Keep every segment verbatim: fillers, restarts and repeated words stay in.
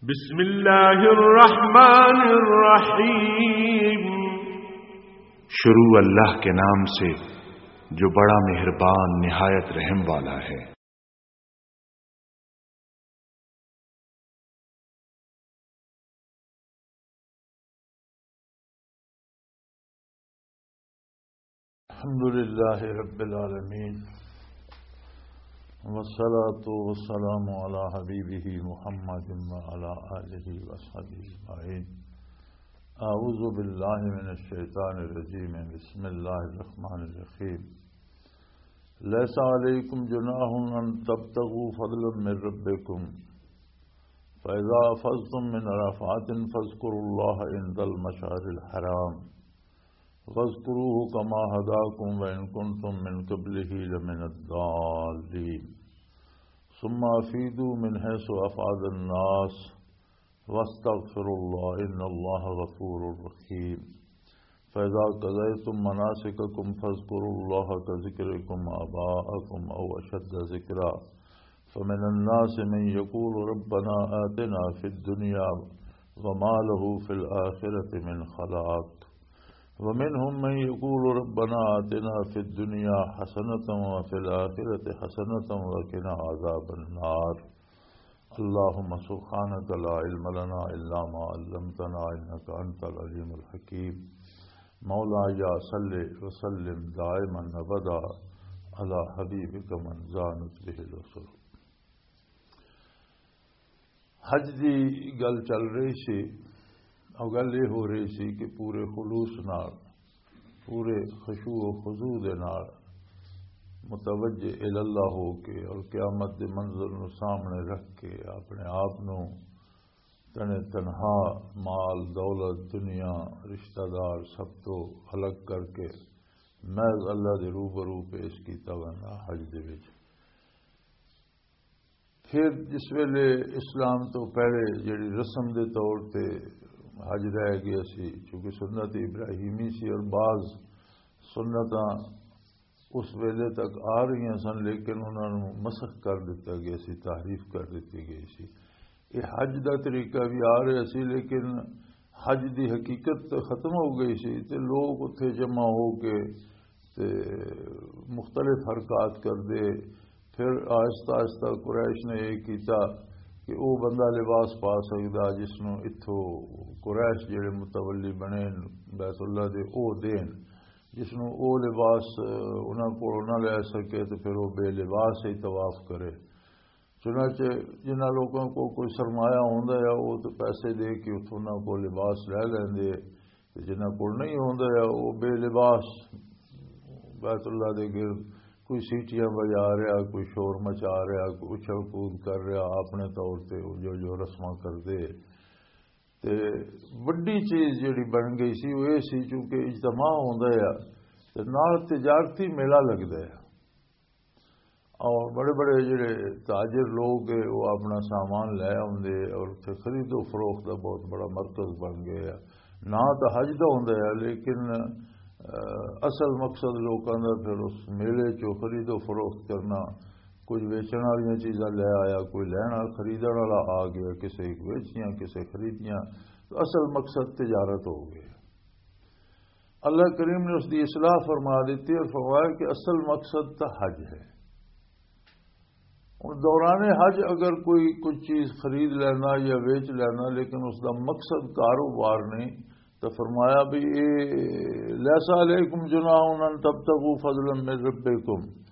بسم اللہ الرحمن الرحیم۔ شروع اللہ کے نام سے جو بڑا مہربان نہایت رحم والا ہے۔ الحمد لله رب العالمين، والصلاة والسلام على حبيبه محمد وعلى آله وصحبه أجمعين. أعوذ بالله من الشيطان الرجيم. بسم الله الرحمن الرحيم. ليس عليكم جناح أن تبتغوا فضلا من ربكم، فإذا أفضتم من عرفات فاذكروا الله عند المشعر الحرام، واذكروه كما هداكم وإن كنتم من قبله لمن الضالين. ثم أفيضوا من حيث أفاض الناس واستغفروا الله إن الله غفور رحيم. فإذا قضيتم مناسككم فاذكروا الله كذكركم آباءكم أو أشد ذكرا. فمن الناس من يقول ربنا آتنا في الدنيا وما له في الآخرة من خلاق. ومنهم من يقول ربنا آتنا في الدنيا حسنة وفي الآخرة حسنة وقنا عذاب النار. اللهم سبحانك لا علم لنا إلا ما علمتنا إنك أنت العليم الحكيم. مولاي صل وسلم دائما أبدا على حبيبك من زانت به الأسر. حج دی گل چل رہی سی، اور گل یہ ہو رہی سی کہ پورے خلوص نال، پورے خشوع و خضوع دے نال متوجہ الی اللہ ہو کے اور قیامت دے منظر نو سامنے رکھ کے اپنے آپ نو تنے تنہا، مال، دولت، دنیا، رشتہ دار سب تو الگ کر کے محض اللہ دے روبرو پیش کیتا ویندا حج دے وچ۔ پھر جس ویلے اسلام تو پہلے جڑی رسم دے طور تے حج رہ گیا سی، چونکہ سنت ابراہیمی سی اور بعض سنتاں اس ویلے تک آ رہیاں سن، لیکن انہاں نوں مسخ کر دتا گیا سی، تحریف کر دتی گئی سی۔ یہ حج دا طریقہ بھی آ رہا سی، لیکن حج دی حقیقت تے ختم ہو گئی سی تے لوگ اتھے جمع ہو کے تے مختلف حرکات کردے۔ پھر آہستہ آہستہ قریش نے یہ کیتا کہ او بندہ لباس پا سکدا جس نوں اتھوں قریش جڑے متولی بنے بیت اللہ دے، او دین، جس نوں او لباس، اہ، انہاں کولوں نہ لے سکے تے پھر او بے لباس ہی طواف کرے۔ چنانچہ جنہاں لوکاں کو کوئی سرمایہ ہوندا ہے، او تے پیسے دے کے اتھوں انہاں کو لباس لے لیندے، تے جنہاں کول نہیں ہوندا ہے، او بے لباس بیت اللہ دے گرد کوئی سیٹیاں بجا رہا، کوئی شور مچا رہا، کوئی اچھل کود کر رہا، اپنے طور تے او جو، جو رسماں کردے۔ تے وڈی چیز جڑی بن گئی سی، وہ یہ سی، چونکہ اجتماع ہوندا ہے تے نال تجارتی میلہ لگدا ہے، اور بڑے بڑے جڑے تاجر لوگ ہے، وہ اپنا سامان لے آوندے اور اتھے خرید و فروخت دا بہت بڑا مرکز بن گیا ہے۔ نہ تو حج دا ہوندا ہے، لیکن، اہ، اصل مقصد لوکاں دا پھر اس میلے چوں خرید و فروخت کرنا، کچھ ویچن والیاں چیزاں لے آیا، کوئی لین والا، خریدن والا آ گیا، کسے ویچیاں، کسے خریدیاں، تو اصل مقصد تجارت ہو گئی۔ اللہ کریم نے اس دی اصلاح فرما دیتی اور فرمایا کہ اصل مقصد تو حج ہے۔ ہن دوران حج اگر کوئی کچھ چیز خرید لینا یا ویچ لینا، لیکن اس دا مقصد کاروبار نہیں، تو فرمایا بھی، اے، "لیس علیکم جناح ان تبتغوا فضلا من ربکم۔"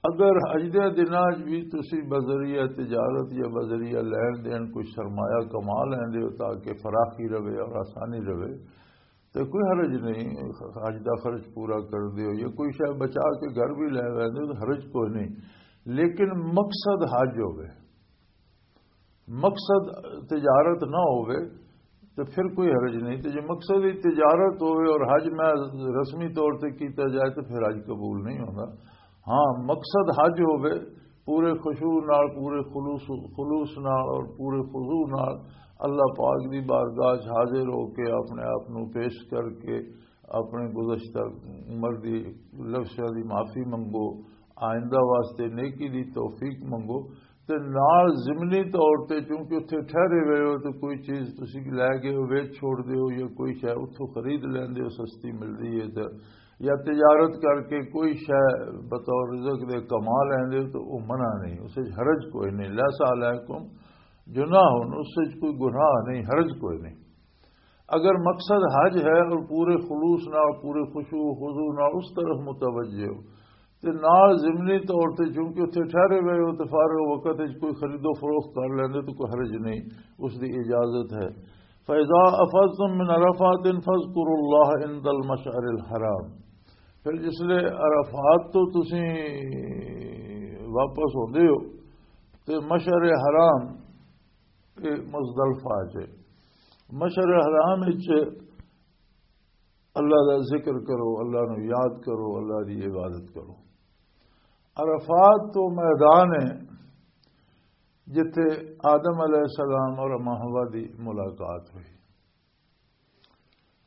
اگر حج دے دناں وچ بھی تسی بذریعہ تجارت یا بذریعہ لین دین کوئی سرمایہ کما لیندے ہو تاکہ فراخی رہے اور آسانی رہے، تے کوئی حرج نہیں، حج دا خرچ پورا کر دیو یا کوئی شے بچا کے گھر بھی لے ویندے ہو تے حرج کوئی نہیں، لیکن مقصد حج ہوے، مقصد تجارت نہ ہوے تے پھر کوئی حرج نہیں۔ تے جے مقصد ہی تجارت ہوے اور حج میں رسمی طور تے کیتا جائے تے پھر حج قبول نہیں ہوندا۔ ہاں، مقصد حج ہوے، پورے خشوع نال، پورے خلوص، خلوص نال اور پورے خضوع نال اللہ پاک دی بارگاہ 'چ حاضر ہو کے اپنے آپ نو پیش کر کے اپنے گزشتہ عمر دی لفظاں دی معافی منگو، آئندہ واسطے نیکی دی توفیق منگو، تے نال ضمنی طور تے، چونکہ اتھے ٹھہرے ہوئے ہو، تے کوئی چیز تسی لے گئے ہو، ویچ چھوڑ دے ہو، یا کوئی شے اتھوں خرید لیندے ہو، سستی ملدی ہے، تے یا تجارت کر کے کوئی شے بطور رزق دے کما لیندے ہو، تو وہ منع نہیں، اس وچ حرج کوئی نہیں۔ لیس علیکم جناح، اس وچ کوئی گناہ نہیں، حرج کوئی نہیں۔ اگر مقصد حج ہے اور پورے خلوص نال، پورے خشوع و خضوع نال اس طرف متوجہ ہو، تے نال ضمنی طور تے چونکہ اتھے ٹھہرے ہوئے ہو، تے فارغ وقت وچ کوئی خرید و فروخت کر لیندے تو کوئی حرج نہیں، اس دی اجازت ہے۔ فَإِذَا أَفَضْتُم مِّنْ عَرَفَاتٍ فَاذْكُرُوا اللَّهَ عِندَ الْمَشْعَرِ الْحَرَامِ۔ پھر جس لے عرفات تو تسی واپس ہوندے ہو، تے مشعر حرام، اے مزدلفہ چ، مشعر حرام وچ اللہ دا ذکر کرو، اللہ نو یاد کرو، اللہ دی عبادت کرو۔ عرفات تو میدان ہے جتھے آدم علیہ السلام اور اماں حوا دی ملاقات ہوئی۔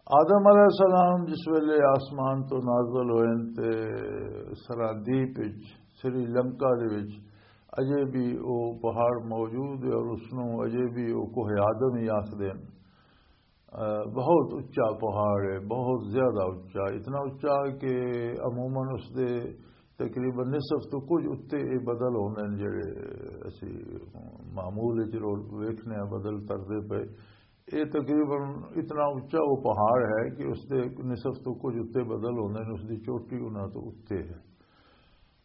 آدم علیہ السلام جس ویلے آسمان تو نازل ہوئے تے سرادیپ وچ، سری لنکا دے وچ، اجے بھی وہ پہاڑ موجود ہے اور اس نو اجے بھی وہ کوہ آدم ہی آخدے ہیں۔ بہت اچا پہاڑ ہے، بہت زیادہ اچا، اتنا اچا کہ عموماً اس دے تقریباً نصف تو کچھ اتے یہ بدل ہوندے نے جڑے اسی معمول وچ رو-، ویکھنے ہیں بدل تردے پے۔ یہ تقریباً اتنا اچا وہ پہاڑ ہے کہ اس دے نصف تو کچھ اتے بدل ہوندے نے، اس دی چوٹی انہاں تو اتے ہے۔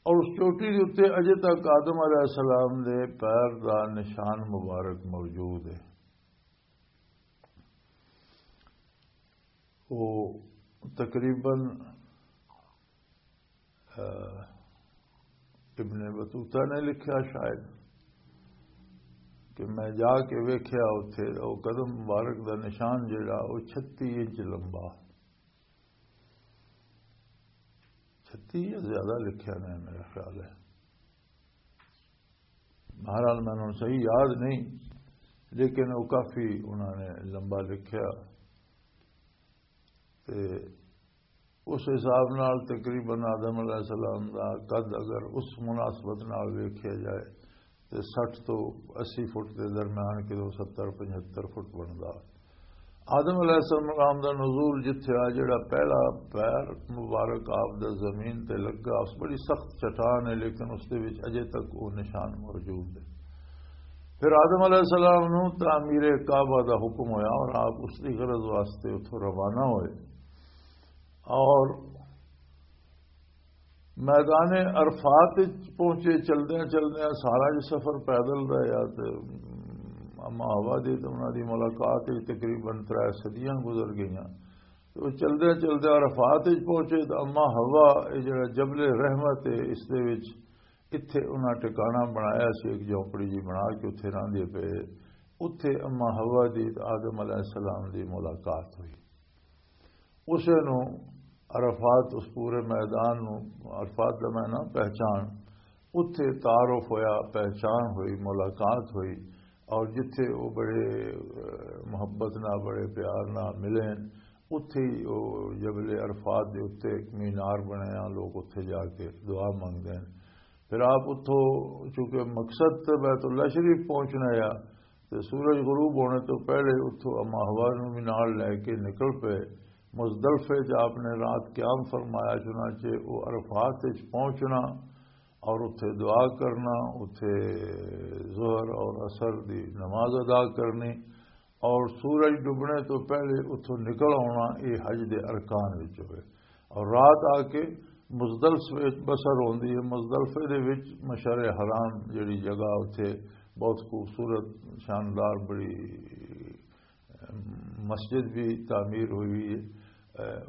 اور اس چوٹی دے اتے اجے تک آدم علیہ السلام دے پیر دا نشان مبارک موجود ہے۔ وہ تقریباً، آ، ابن بطوطہ نے لکھیا شاید کہ میں جا کے ویکھیا اتھے، وہ قدم مبارک دا نشان جڑا، وہ چھتی انچ لمبا، چھتی یا زیادہ لکھیا نے میرا خیال ہے۔ بہرحال، مینوں صحیح یاد نہیں، لیکن وہ کافی انہوں نے لمبا لکھیا۔ تے اس حساب نال تقریباً آدم علیہ السلام دا قد اگر اس مناسبت نال ویکھیا جائے تے سٹھ تو اسی فٹ دے درمیان کدوں ستر پچھتر فٹ بندا۔ آدم علیہ السلام دا نزول جتھے آ، جڑا پہلا پیر مبارک آپ دا زمین تے لگا، اس بڑی سخت چٹان ہے، لیکن اس دے وچ اجے تک وہ نشان موجود ہے۔ پھر آدم علیہ السلام نو تعمیر کعبہ دا حکم ہویا اور آپ اس دی غرض واسطے اتھوں روانہ ہوئے اور میدان عرفات وچ پہنچے۔ چلدیاں چلدیاں سارا جو سفر پیدل دا یا تے اما حوا دی تے انہاں دی ملاقات وچ تقریباً ترے صدیاں گزر گئیاں۔ تے او چلدیاں چلدیاں عرفات وچ پہنچے تے اما حوا، اے جڑا جبل رحمت ہے، اس دے وچ اتھے انہاں ٹھکانہ بنایا سی، ایک جھونپڑی جی بنا کے اتھے رہندے پئے۔ اتھے اما حوا دی تے آدم علیہ السلام دی ملاقات ہوئی۔ اسے نو عرفات، اس پورے میدان نو عرفات دا میدان پہچان، اتھے تعارف ہویا، پہچان ہوئی، ملاقات ہوئی، اور جتھے وہ بڑے، اہ، محبت نہ، بڑے پیار نہ ملے، اتھے ہی وہ جبل عرفات دے اتھے ایک مینار بنے ہیں، لوگ اتھے جا کے دعا منگدے ہیں۔ پھر آپ اتھوں، چونکہ مقصد تے بیت اللہ شریف پہنچنا ہے، تے سورج غروب ہونے تو پہلے اتھوں اما حوا نوں بھی نال لے کے نکل پئے۔ مزدلفے 'چ آپ نے رات قیام فرمایا، چنانچہ وہ عرفات وچ پہنچنا اور اتھے دعا کرنا، اتھے ظہر اور عصر دی نماز ادا کرنی اور سورج ڈبنے تو پہلے اتھوں نکل آنا، یہ حج دے ارکان وچ ہوئے۔ اور رات آ کے مزدلفے وچ بسر ہوندی ہے۔ مزدلفے دے وچ مشعر حرام جڑی جگہ، اتھے بہت خوبصورت، شاندار، بڑی مسجد بھی تعمیر ہوئی ہوئی ہے۔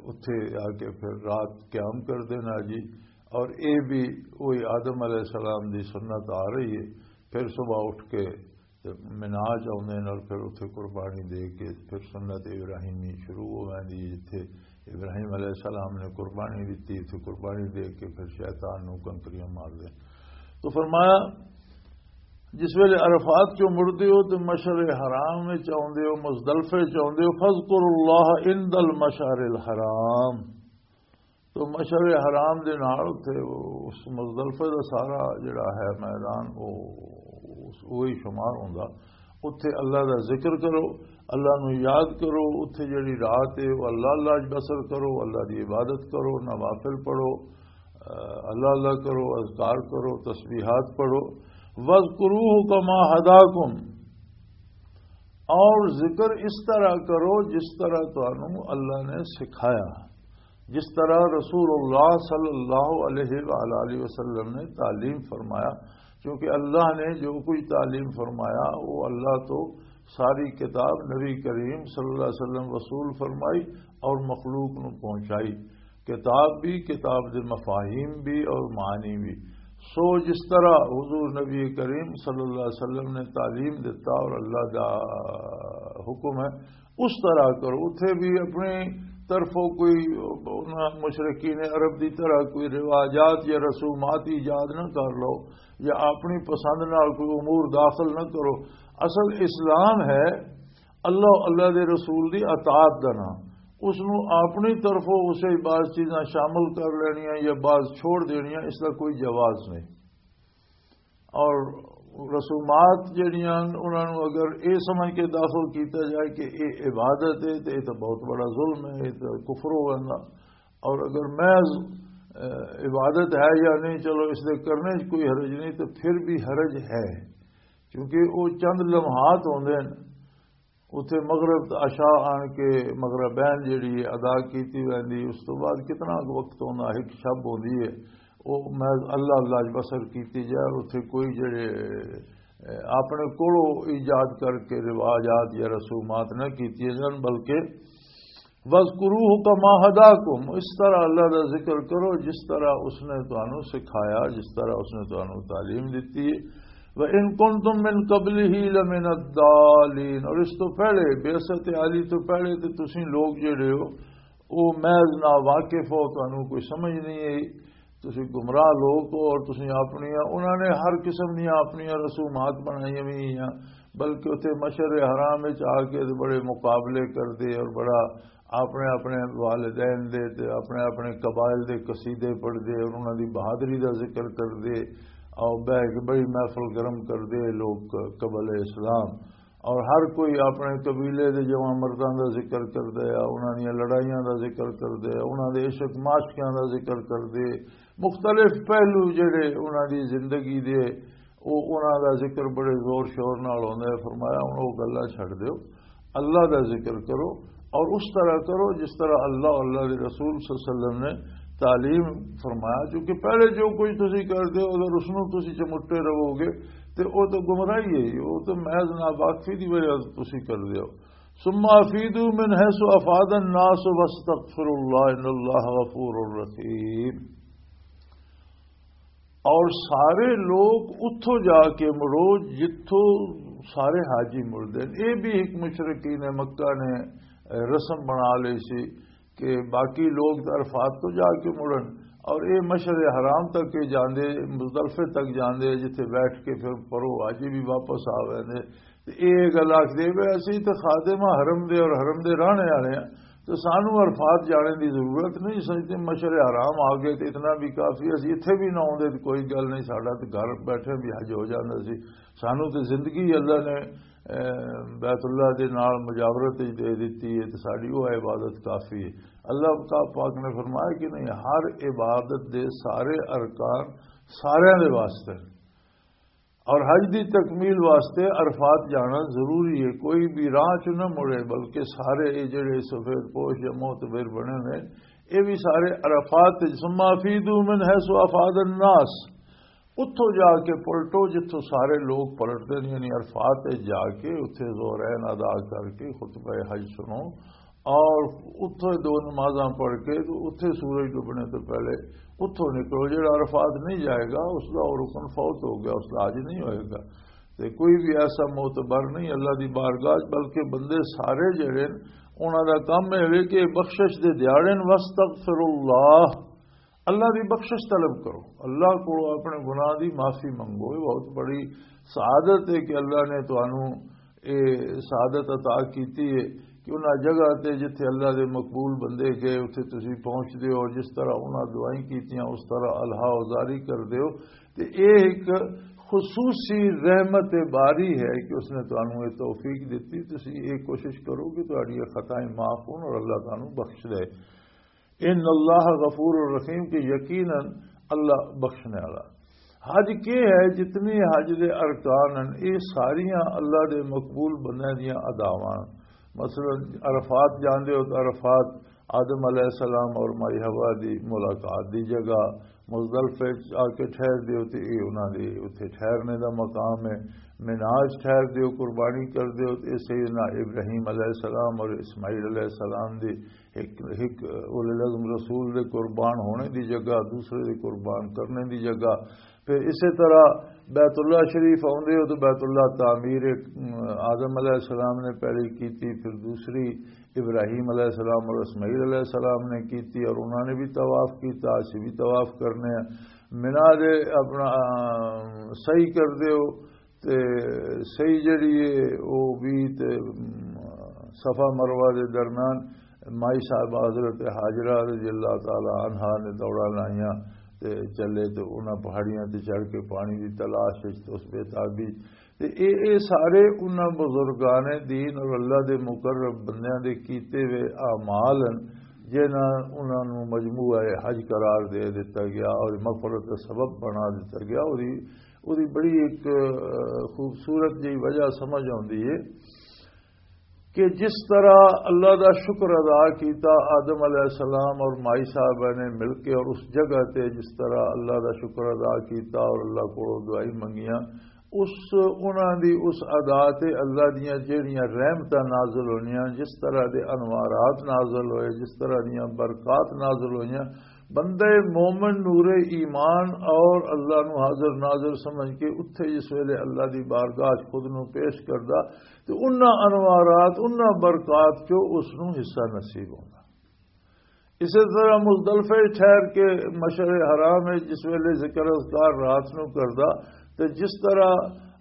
اتھے آ کے پھر رات قیام کر دینا جی۔ اور اے بھی وہی آدم علیہ السلام دی سنت آ رہی ہے۔ پھر صبح اٹھ کے تے مناج آوندے نال پھر اتھے قربانی دے کے پھر سنت ابراہیمی شروع ہو ویندی ہے، جتھے ابراہیم علیہ السلام نے قربانی دتی، اتھے قربانی دے کے پھر شیطان نو کنکریاں مار دے۔ تو فرمایا، جس ویلے عرفات چوں مڑدے ہو تے مشعر حرام وچ آوندے ہو، مزدلفے وچ آوندے ہو، فذکروا اللہ عند المشعر الحرام۔ تو مشعر حرام دے نال اتھے اس مزدلفے دا سارا جڑا ہے میدان، او وہی شمار ہوندا۔ اتھے اللہ دا ذکر کرو، اللہ نو یاد کرو۔ اتھے جڑی رات ہے، وہ اللہ اللہ وچ بسر کرو، اللہ دی عبادت کرو، نوافل پڑھو، اللہ اللہ کرو، اذکار کرو، تسبیحات پڑھو۔ وَاذْكُرُوهُ كَمَا هَدَاكُمْ، اور ذکر اس طرح کرو جس طرح تانوں اللہ نے سکھایا، جس طرح رسول اللہ صلی اللہ علیہ وآلہ وسلم نے تعلیم فرمایا۔ کیونکہ اللہ نے جو کچھ تعلیم فرمایا، وہ اللہ تو ساری کتاب نبی کریم صلی اللہ علیہ وسلم وصول فرمائی اور مخلوق نو پہنچائی۔ کتاب بھی، کتاب دے مفاہیم بھی اور معنی بھی۔ سو جس طرح حضور نبی کریم صلی اللہ علیہ وسلم نے تعلیم دیتا اور اللہ دا حکم ہے، اس طرح کرو۔ اتھے بھی اپنی طرفوں کوئی انہاں مشرکین عرب دی طرح کوئی رواجات یا رسومات ایجاد نہ کر لو، یا اپنی پسند نال کوئی امور داخل نہ کرو۔ اصل اسلام ہے اللہ، اللہ دے رسول دی اطاعت دا نام۔ اس نو اپنی طرفوں اسے بعض چیزاں شامل کر لینیاں یا بعض چھوڑ دینیاں، اس دا کوئی جواز نہیں۔ اور رسومات جڑیاں، انہاں نو اگر اے سمجھ کے داخل کیتا جائے کہ اے عبادت ہے، تو اے تو بہت بڑا ظلم ہے، اے تو کفر ہو گیا۔ اور اگر محض، اے، عبادت ہے یا نہیں، چلو اس دے کرنے چ کوئی حرج نہیں، تو پھر بھی حرج ہے، کیونکہ وہ چند لمحات ہوندے نے۔ اتھے مغرب تے عشاء آن کے مغربین جڑی ہے ادا کیتی ویندی، اس تو بعد کتنا کُ وقت ہوندا، ایک شب ہوندی ہے، وہ محض اللہ اللہ وچ بسر کیتی جائے۔ اور اتھے کوئی جڑے، اے، اپنے کولوں ایجاد کر کے رواجات یا رسومات نہ کیتی جان، بلکہ وَاذْكُرُوهُ كَمَا هَدَاكُمْ، اس طرح اللہ دا ذکر کرو جس طرح اس نے تانوں سکھایا، جس طرح اس نے تانوں تعلیم دتی ہے۔ وَإِن كُنْتُمْ مِنْ قَبْلِهِ لَمِنَ الضَّالِّينَ، اور اس تو پہلے، بعثت علی تو پہلے تے تسی لوگ جڑے ہو، او محض نا واقف ہو، تانوں کوئی سمجھ نہیں ہے، تسی گمراہ لوگ ہو، اور تسی اپنیاں، انہاں نے ہر قسم دیاں اپنیاں رسومات بنائیاں ہوئی ہیں، بلکہ اتھے مشعر حرام وچ آ کے تے بڑے مقابلے کردے اور بڑا اپنے اپنے والدین دے تے اپنے اپنے قبائل دے قصیدے پڑھدے اور انہاں دی بہادری دا ذکر کردے، اور بہ کے بڑی محفل گرم کردے لوگ قبل اسلام۔ اور ہر کوئی اپنے قبیلے دے جواں مرداں دا ذکر کردا ہے، انہاں دیاں لڑائیاں دا ذکر کردا ہے، انہاں دے عشق معاشقیاں دا ذکر کردے، مختلف پہلو جڑے انہاں دی زندگی دے، او انہاں دا ذکر بڑے زور شور نال ہوندا ہے۔ فرمایا، ہن او گلاں چھڈ دیو، اللہ دا ذکر کرو، اور اس طرح کرو جس طرح اللہ، اللہ دے رسول صلی اللہ علیہ وسلم نے تعلیم فرمایا۔ کیونکہ پہلے جو کچھ تسی کردے ہو، اگر اس نوں تسی چمٹے رہو گے، تے او تو گمراہی ہے، او تو محض ناواقفی دی وجہ سے تسی کردے ہو۔ ثم افیدوا من حیث افاض الناس واستغفروا اللہ ان اللہ غفور رحیم۔ اور سارے لوگ اتھوں جا کے مڑو جتھوں سارے حاجی مڑدے نے۔ یہ بھی ایک مشرکین مکہ نے رسم بنا لی سی کہ باقی لوگ عرفات تو جا کے مڑن، اور یہ مشعر حرام تک کے جاندے، مزدلفے تک جاندے، جتھے بیٹھ کے پھر پرو حاجی بھی واپس آ ویندے۔ تے اے گل آکھدے وے، اسی تے خادم آں حرم دے اور حرم دے رہنے والے ہاں، تے سانو عرفات جانے دی ضرورت نہیں۔ سجدے مشعر حرام آ گئے تے اتنا بھی کافی، اسی اتھے بھی نہ آوندے تے کوئی گل نہیں، ساڈا تے گھر بیٹھے بھی حج ہو جاندا سی۔ سانو تے زندگی اللہ نے، اے، بیت اللہ دے نال مجاورت وچ دے دتی ہے تے ساڈی وہ عبادت کافی ہے۔ اللہ کا پاک نے فرمایا کہ نہیں، ہر عبادت دے سارے ارکان سارے دے واسطے۔ اور حج دی تکمیل واسطے عرفات جانا ضروری ہے۔ کوئی بھی راہ چ نہ مڑے، بلکہ سارے اے جڑے سفید پوش یا معتبر بنے نے، اے بھی سارے عرفات وچ، ثم افیدوا من حیث افاض الناس، اتھوں جا کے پلٹو جتھوں سارے لوگ پلٹتے ہیں، یعنی عرفات وچ جا کے اتھے ظہرین ادا کر کے خطبہ حج سنو، اور اتھے دو نمازاں پڑھ کے تو اتھے سورج ڈوبنے تو پہلے اتھوں نکلو۔ جڑا عرفات نہیں جائے گا، اس دا وہ رکن فوت ہو گیا، اس دا حج نہیں ہوئے گا۔ تے کوئی بھی ایسا معتبر نہیں اللہ دی بارگاہ چ، بلکہ بندے سارے جڑے نے، انہاں دا کم اے وے کہ بخشش دے دیاڑے نے، واستغفر اللہ، اللہ دی بخشش طلب کرو، اللہ کو اپنے گناہ دی معافی منگو۔ یہ بہت بڑی سعادت ہے کہ اللہ نے تانوں اے سعادت عطا کیتی ہے کہ انہاں جگہ تے جتھے اللہ دے مقبول بندے گئے، اتھے تسی پہنچ دیو اور جس طرح انہاں دعائیں کیتیاں، اس طرح الہا و زاری کر دیو۔ تے اے ایک خصوصی رحمت باری ہے کہ اس نے تانوں یہ توفیق دتی۔ تسی یہ کوشش کرو کہ تہاڈیاں خطائیں معاف ہون اور اللہ تانوں بخش دے۔ ان اللہ غفور الرحیم، کہ یقیناً اللہ بخشنے والا۔ حج کی ہے؟ جتنی حج دے ارکان ہیں، یہ ساریاں اللہ دے مقبول بندیاں دیاں اداواں۔ مثلاً عرفات جاندے ہو تو عرفات آدم علیہ السلام اور مائی حوا دی ملاقات دی جگہ، مزدلفے چ آ کے ٹھہر دیو تے اے انہاں دے اتھے ٹھہرنے دا مقام ہے۔ مناج ٹھہر دیو، قربانی کر دیو تے اے سیدنا ابراہیم علیہ السلام اور اسماعیل علیہ السلام دی ایک، ایک اولے العزم رسول دے قربان ہونے دی جگہ، دوسرے دے قربان کرنے دی جگہ۔ پھر اسی طرح بیت اللہ شریف آوندے ہو تو بیت اللہ تعمیر، ام، آدم علیہ السلام نے پہلی کی تھی، پھر دوسری ابراہیم علیہ السلام اور اسماعیل علیہ السلام نے کی تھی اور انہوں نے بھی طواف کیتا، اسی بھی طواف کرنے ہیں۔ منا دے اپنا، آ، صحیح کر دیو تے صحیح جڑی ہے وہ بھی تے، ام، صفا مروہ دے درمیان مائی صاحب حضرت حاجرہ رضی اللہ تعالی عنہا نے دوڑا لائیاں تے چلے تے انہاں پہاڑیاں تے چڑھ کے پانی دی تلاش وچ تے اس بے تابی تے اے، اے سارے انہاں بزرگان دین اور اللہ دے مقرب بندیاں دے کیتے ہوئے اعمال ہن، جنہاں انہاں نوں مجموعہ حج قرار دے دتا گیا اور مغفرت دا سبب بنا دتا گیا۔ اور اوہدی بڑی ایک، آ، خوبصورت جئی وجہ سمجھ آندی ہے کہ جس طرح اللہ دا شکر ادا کیتا آدم علیہ السلام اور مائی صاحبہ نے مل کے، اور اس جگہ تے جس طرح اللہ دا شکر ادا کیتا اور اللہ کو دعائیں منگیاں، اس، انہاں دی اس ادا تے اللہ دیاں جہڑیاں رحمتاں نازل ہوئیاں، جس طرح دے انوارات نازل ہوئے، جس طرح دیاں برکات نازل ہوئیاں، بندہ مومن نور ایمان اور اللہ نو حاضر ناظر سمجھ کے اتھے جس ویلے اللہ دی بارگاہ چ خود نو پیش کردا تے انہاں انوارات، انہاں برکات چو اس نو حصہ نصیب ہوندا۔ اسی طرح مزدلفہ ٹھہر کے مشعر حرام ہے جس ویلے ذکر اذکار رات نو کردا تے جس طرح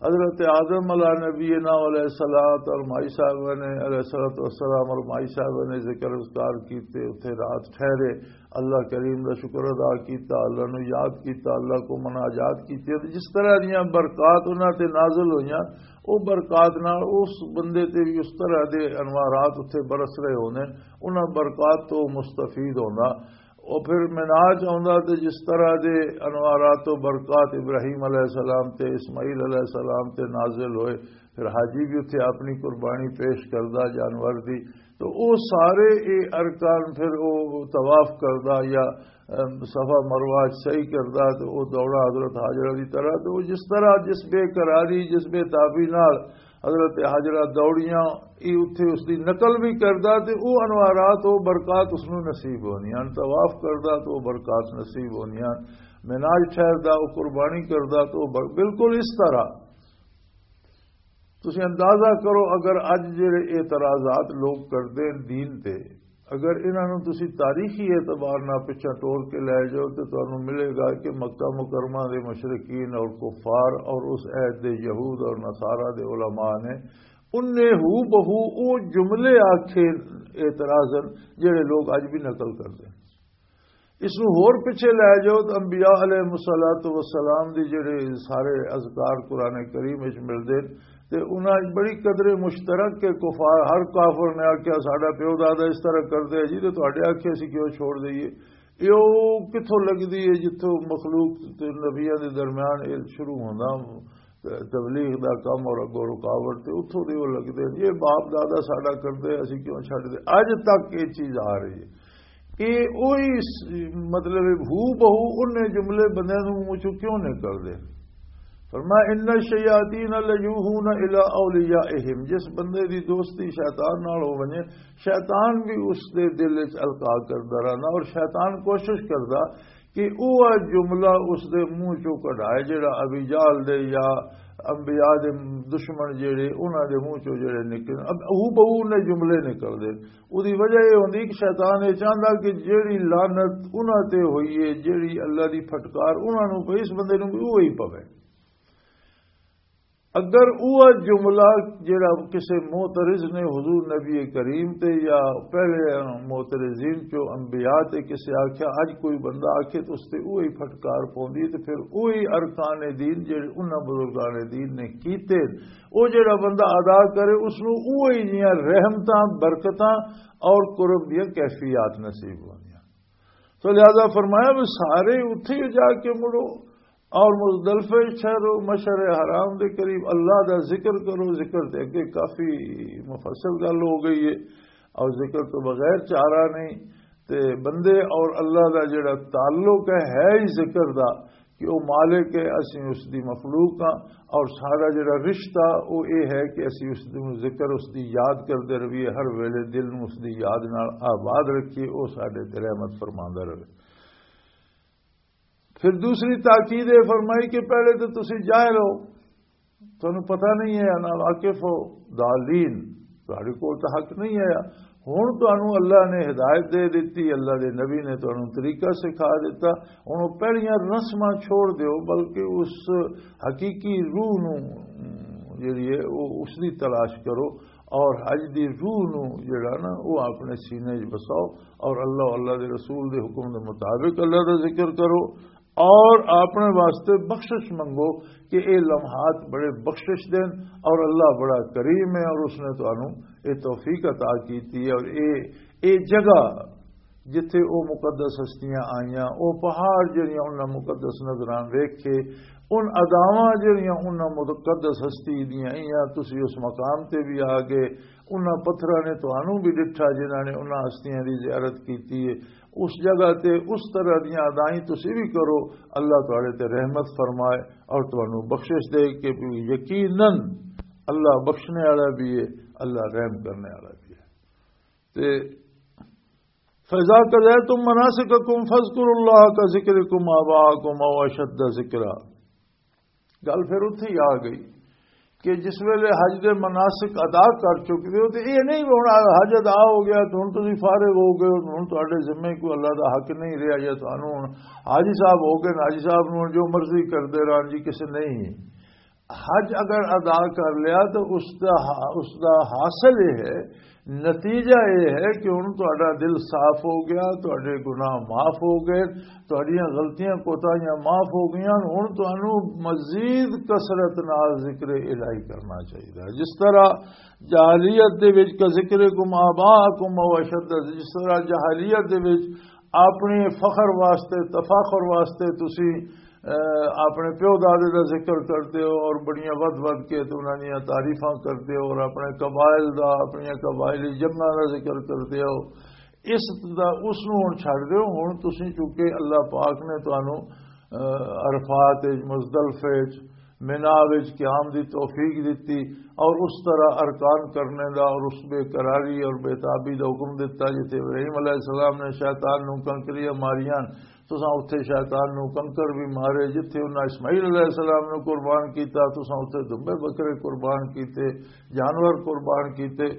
حضرت آدم علیہ نبینا علیہ الصلوۃ اور مائی صاحبہ نے علیہ الصلوۃ والسلام اور مائی صاحبہ نے ذکر اذکار کیتے، اتھے رات ٹھہرے، اللہ کریم دا شکر ادا کیتا، اللہ نو یاد کیتا، اللہ کو مناجات کیتی، تے جس طرح دیاں برکات انہاں تے نازل ہوئیاں، او برکات نال اس بندے تے بھی اس طرح دے انوارات اتھے برس رہے ہوندے، انہاں برکات تو مستفید ہوندا۔ او پھر معراج آوندا تے جس طرح دے انوارات و برکات ابراہیم علیہ السلام تے اسماعیل علیہ السلام تے نازل ہوئے، پھر حاجی بھی اتھے اپنی قربانی پیش کردا جانور دی، تو او سارے اے ارکان پھر او طواف کردا یا، ام، صفا مروہ چ سعی کردا، تو او دوڑا حضرت حاجرہ دی طرح، تو او جس طرح جس بے قراری، جس بے تابی نال حضرت حاجرہ دوڑیاں، ای اتھے اس دی نقل بھی کردا، تے او انوارات، او برکات اس نوں نصیب ہونی ہن۔ طواف کردا، تو او برکات نصیب ہونی ہن۔ معراج ٹھہردا، او قربانی کردا، تو او بر-، بالکل اس طرح تسی اندازہ کرو، اگر اج جڑے اعتراضات لوگ کردے ہیں دین تے، اگر انہاں نوں تسی تاریخی اعتبار نال پچھا ٹور کے لے جاؤ، تے تانوں ملے گا کہ مکہ مکرمہ دے مشرکین اور کفار اور اس عہد دے یہود اور نصارہ دے علماء نے انہیں ہو بہو او جملے آکھے اعتراضاً، جڑے لوگ اج بھی نقل کردے ہیں۔ اس نوں ہور پچھے لے جاؤ تے انبیاء علیہ الصلوۃ والسلام دی جڑے سارے اذکار قرآن کریم وچ ملدے نے، تے انہاں وچ بڑی قدر مشترک کے کفار، ہر کافر نے آکھیا، "ساڈا پیو دادا اس طرح کردے جی، تے تہاڈے آکھے اسی کیوں چھوڑ دئیے؟" یہ او کتھوں لگدی ہے جتھوں مخلوق تے نبیاں دے درمیان یہ شروع ہوندا، تبلیغ دا کم اور اگوں رکاوٹ تے اتھوں دے او لگدے نے، "یہ باپ دادا ساڈا کردے، اسی کیوں چھڈ دے؟" اج تک یہ چیز آ رہی ہے۔ یہ اوہی س-، مطلب ہے، ہو بہو انہیں جملے بندے نوں منہ چوں کیوں نکلدے؟ فرمایا، "ان الشیاطین لیوحون الی اولیائہم"، جس بندے دی دوستی شیطان نال ہو ونجے، شیطان بھی اس دے دل وچ القا کردا رہنا، اور شیطان کوشش کردا کہ وہ جملہ اس دے منہ چوں کڈھائے، جڑا ابی جہل دے یا انبیاء دے دشمن جڑے، انہاں دے منہ چوں جڑے نکلے، اب ہو بہو انہیں جملے نکلدے۔ اودی وجہ یہ ہوندی کہ شیطان یہ چاہندا کہ جیڑی لعنت انہاں تے ہوئی ہے، جیڑی اللہ دی پھٹکار انہاں نوں پئی، اس بندے نوں بھی وہی پوے۔ اگر وہ جملہ جڑا کسی معترض نے حضور نبی کریم تے یا پہلے معترضین چو انبیاء تے کسی آکھیا، اج کوئی بندہ آکھے تو اس تے وہی پھٹکار پوندی ہے، تے پھر وہی ارکان دین جڑے انہاں بزرگان دین نے کیتے، وہ جڑا بندہ ادا کرے، اس نوں وہی جیاں رحمتاں، برکتاں اور قرب دیاں کیفیات نصیب ہوندیاں۔ تو لہذا فرمایا بھی سارے اتھے ہی جا کے مڑو، اور مزدلفہ شہر و مشعر حرام دے قریب اللہ دا ذکر کرو۔ ذکر تے اگے کافی مفصل گل ہو گئی ہے، اور ذکر تو بغیر چارہ نہیں۔ تے بندے اور اللہ دا جڑا تعلق ہے، ہے ہی ذکر دا، کہ وہ مالک ہے، اسی اس دی مخلوق ہاں، اور سارا جڑا رشتہ وہ یہ ہے کہ اسی اس دی ذکر، اس دی یاد کردے رہیے، ہر ویلے دل نوں اس دی یاد نال آباد رکھیے، وہ ساڈے تے رحمت فرماندا رہے۔ پھر دوسری تاکید یہ فرمائی کہ پہلے تو تسی جاہل ہو، تانوں پتہ نہیں ہے، نا واقف ہو، دالین، تہاڈے کول تو حق نہیں آیا۔ ہن تانوں اللہ نے ہدایت دے دتی، اللہ دے نبی نے تانوں طریقہ سکھا دتا۔ ہن او پہلیاں رسماں چھوڑ دیو، بلکہ اس حقیقی روح نو جڑی ہے، او اس دی تلاش کرو، اور حج دی روح نو جڑا نا، او اپنے سینے وچ بساؤ، اور اللہ، اللہ دے رسول دے حکم دے مطابق اللہ دا ذکر کرو، اور اپنے واسطے بخشش منگو کہ اے لمحات بڑے بخشش دین، اور اللہ بڑا کریم ہے، اور اس نے تانوں اے توفیق عطا کیتی ہے، اور اے، اے جگہ جتھے او مقدس ہستیاں آئیاں، او پہاڑ جڑیاں انہاں مقدس نظراں ویکھے، ان اداواں جڑیاں انہاں مقدس ہستی دیاں آئیاں، تسی اس مقام تے بھی آ گئے، انہاں پتھراں نے تانوں بھی ڈٹھا جنہاں نے انہاں ہستیاں دی زیارت کیتی ہے۔ اس جگہ تے اس طرح دیاں ادائیں تسی بھی کرو، اللہ تہاڈے تے رحمت فرمائے اور تانوں بخشش دے کہ یقیناً اللہ بخشنے والا بھی ہے، اللہ رحم کرنے والا بھی ہے۔ تے فَإِذَا قَضَيْتُم مَّنَاسِكَكُمْ فَاذْكُرُوا اللَّهَ كَذِكْرِكُمْ آبَاءَكُمْ أَوْ أَشَدَّ ذِكْرًا۔ گل پھر اتھے ہی آ گئی کہ جس ویلے حج دے مناسک ادا کر چکدے ہو، تے یہ نہیں ہونا حج ادا ہو گیا، تے ہن تسی فارغ ہو گئے ہو، ہن تہاڈے ذمے کوئی اللہ دا حق نہیں رہیا، یا تانوں ہن حاجی صاحب ہو گئے، حاجی صاحب نوں جو مرضی کردے رہن جی، کسے نہیں۔ حج اگر ادا کر لیا تو اس دا، اس دا حاصل یہ ہے، نتیجہ یہ ہے کہ ہن تہاڈا دل صاف ہو گیا، تہاڈے گناہ معاف ہو گئے، تہاڈیاں غلطیاں کوتاہیاں معاف ہو گئیاں۔ ہن تانوں مزید کثرت نال ذکر الہی کرنا چاہیے، جس طرح جاہلیت دے وچ کا ذکر کم آبا کم او اشد، جس طرح جاہلیت دے وچ اپنے فخر واسطے، تفاخر واسطے تسی، اے، اپنے پیو دادے دا ذکر کردے ہو اور بڑیاں ود ود کے تے انہاں دیاں تعریفاں کردے ہو اور اپنے قبائل دا، اپنیاں قبائلی جنگاں دا ذکر کردے ہو۔ اس دا، اس نوں ہن چھڈ دیو۔ ہن تسی چونکہ اللہ پاک نے تانوں، اے، عرفات وچ، مزدلفے وچ، مینا وچ قیام دی توفیق دتی اور اس طرح ارکان کرنے دا اور اس بے قراری اور بے تابی دا حکم دتا، جتھے ابراہیم علیہ السلام نے شیطان نوں کنکریاں ماریاں، تساں اتھے شیطان نوں کنکر بھی مارے، جتھے انہاں اسماعیل علیہ السلام نوں قربان کیتا، تساں اتھے دمبے بکرے قربان کیتے، جانور قربان کیتے،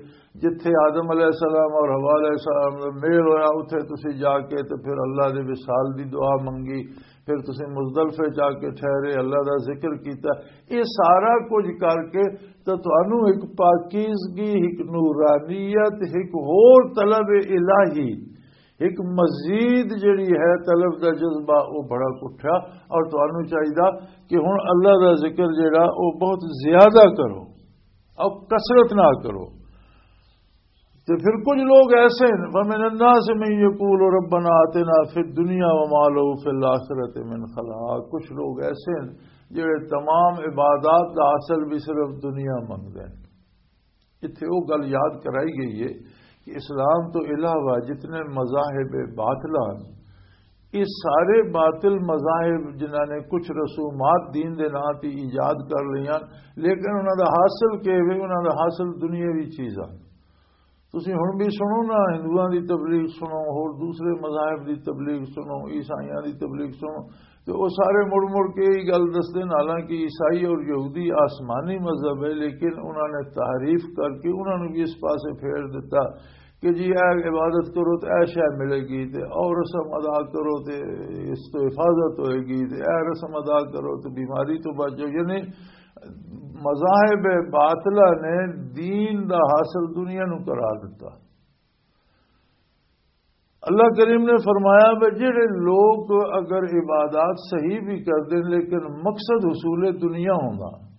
جتھے آدم علیہ السلام اور حوا علیہ السلام دا میل ہویا، اتھے تسی جا کے تے پھر اللہ دے وصال دی دعا منگی، پھر تسی مزدلفے جا کے ٹھہرے، اللہ دا ذکر کیتا۔ یہ سارا کچھ کر کے تے تانوں ایک پاکیزگی، ایک نورانیت، ایک ہور طلب الہی، ایک مزید جڑی ہے طلب دا جذبہ، وہ بڑا اٹھا۔ اور تانوں چاہیدا کہ ہن اللہ دا ذکر جڑا، وہ بہت زیادہ کرو، اور کثرت نہ کرو۔ تے پھر کچھ لوگ ایسے ہیں، وَمِنَ النَّاسِ مَن يَقُولُ رَبَّنَا آتِنَا فِي الدُّنْيَا وَمَا لَهُ فِي الْآخِرَةِ مِنْ خَلَاقٍ۔ کچھ لوگ ایسے ہیں جڑے تمام عبادات دا حاصل بھی صرف دنیا منگدے ہیں۔ اتھے وہ گل یاد کرائی گئی ہے کہ اسلام تو علاوہ جتنے مذاہب باطلہ ہیں، یہ سارے باطل مذاہب جنہاں نے کچھ رسومات دین دے نام تے ایجاد کر لیاں، لیکن انہاں دا حاصل کیا ہے؟ انہاں دا حاصل دنیاوی چیزاں۔ تسی ہن بھی سنو نا، ہندوؤں دی تبلیغ سنو، ہور دوسرے مذاہب دی تبلیغ سنو، عیسائیاں دی تبلیغ سنو، تے او سارے مڑ مڑ کے یہی گل دسدے نے، حالانکہ عیسائی اور یہودی آسمانی مذہب ہے، لیکن انہاں نے تحریف کر کے انہاں نوں بھی اس پاسے پھیر دتا کہ جی اے عبادت کرو تے اے شے ملے گی، تے او رسم ادا کرو تے اس تو حفاظت ہوئے گی، تے اے رسم ادا کرو تے بیماری تو بچو۔ یعنی مذاہب باطلہ نے دین دا حاصل دنیا نو قرار دتا۔ اللہ کریم نے فرمایا، بھی جڑے لوگ اگر عبادات صحیح بھی کر دیں لیکن مقصد حصول دنیا ہوندا،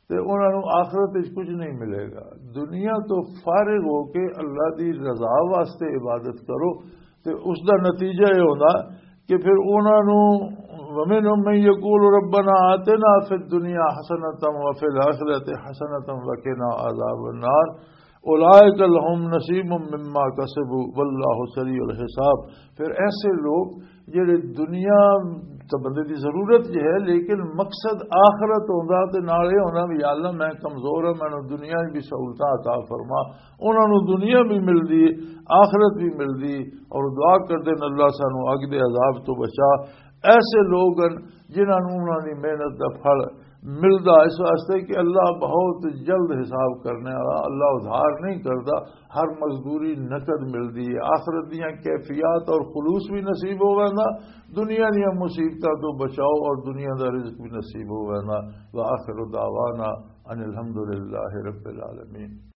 تے انہاں نوں آخرت وچ کچھ نہیں ملے گا۔ دنیا تو فارغ ہو کے اللہ دی رضا واسطے عبادت کرو، تے اس دا نتیجہ یہ ہونا کہ پھر انہاں نوں، وَمِنْهُمْ مَنْ يَقُولُ رَبَّنَا آتِنَا فِي الدُّنْيَا حَسَنَةً وَفِي الْآخِرَةِ حَسَنَةً وَقِنَا عَذَابَ النَّارِ، اولئک لہم نصیب مما کسبوا واللہ سریع الحساب۔ پھر ایسے لوگ جڑے دنیا تو بندے دی ضرورت یہ ہے، لیکن مقصد آخرت ہوندا، تے نال یہ ہونا بھی، "یا اللہ، میں کمزور ہاں، مینوں دنیا بھی سہولتاں عطا فرما۔" انہاں نوں دنیا بھی ملدی، آخرت بھی ملدی، اور دعا کردے نے، "اللہ، سانوں اگ دے عذاب تو بچا۔" ایسے لوگ ہن جنہاں نوں انہاں دی محنت دا پھل ملدا، اس واسطے کہ اللہ بہت جلد حساب کرنے والا، اللہ ادھار نہیں کردا، ہر مزدوری نقد ملدی ہے۔ آخرت دیاں کیفیات اور خلوص بھی نصیب ہو ویندا، دنیا دیاں مصیبتاں تو بچاؤ اور دنیا دا رزق بھی نصیب ہو ویندا۔ وآخر دعوانا ان الحمد للہ رب العالمین۔